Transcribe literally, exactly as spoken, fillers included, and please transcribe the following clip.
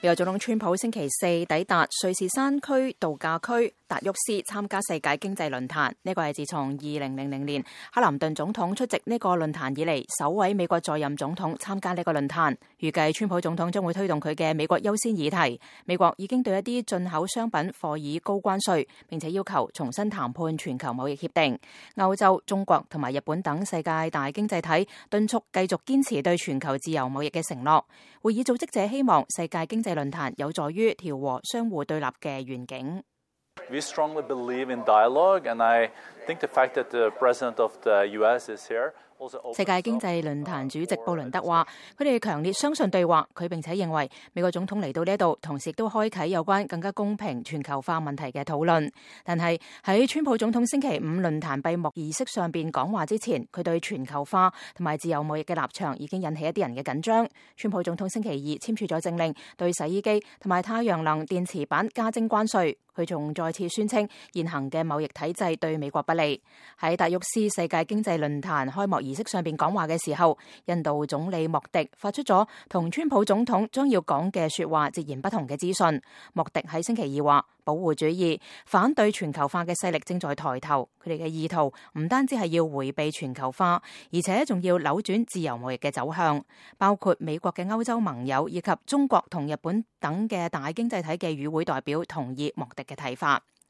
美國總統川普星期四抵達瑞士山區度假區達沃斯參加世界經濟論壇，呢個係自從二零零零年克林頓總統出席呢個論壇以嚟首位美國在任總統參加呢個論壇。預計川普總統將會推動佢嘅美國優先議題。美國已經對一啲進口商品課以高關稅，並且要求重新談判全球貿易協定。歐洲、中國同埋日本等世界大經濟體敦促繼續堅持對全球自由貿易嘅承諾。會議組織者希望世界經濟論壇有助於調和相互對立嘅願景。We strongly believe in dialogue, and I think the fact that the president of the U S is here. 世界經濟論壇主席布倫德話：佢哋強烈相信對話，佢並且認為美國總統嚟到呢度，同時亦都開啟有關更加公平全球化問題嘅討論。但係喺川普總統星期五論壇閉幕儀式上邊講話之前，佢對全球化同埋自由貿易嘅立場已經引起一啲人嘅緊張。川普總統星期二簽署咗政令，對洗衣機同埋太陽能電池板加徵關稅。佢仲再次宣稱現行嘅貿易體制對美國不利。喺達沃斯世界經濟論壇開幕儀式上邊講話嘅時候，印度總理莫迪發出咗同川普總統將要講嘅說話截然不同嘅資訊。莫迪喺星期二話，保護主義、反對全球化嘅勢力正在抬頭，佢哋嘅意圖唔單止係要迴避全球化，而且仲要扭轉自由貿易嘅走向。包括美國嘅歐洲盟友以及中國同日本等嘅大經濟體嘅與會代表同意莫迪嘅睇法。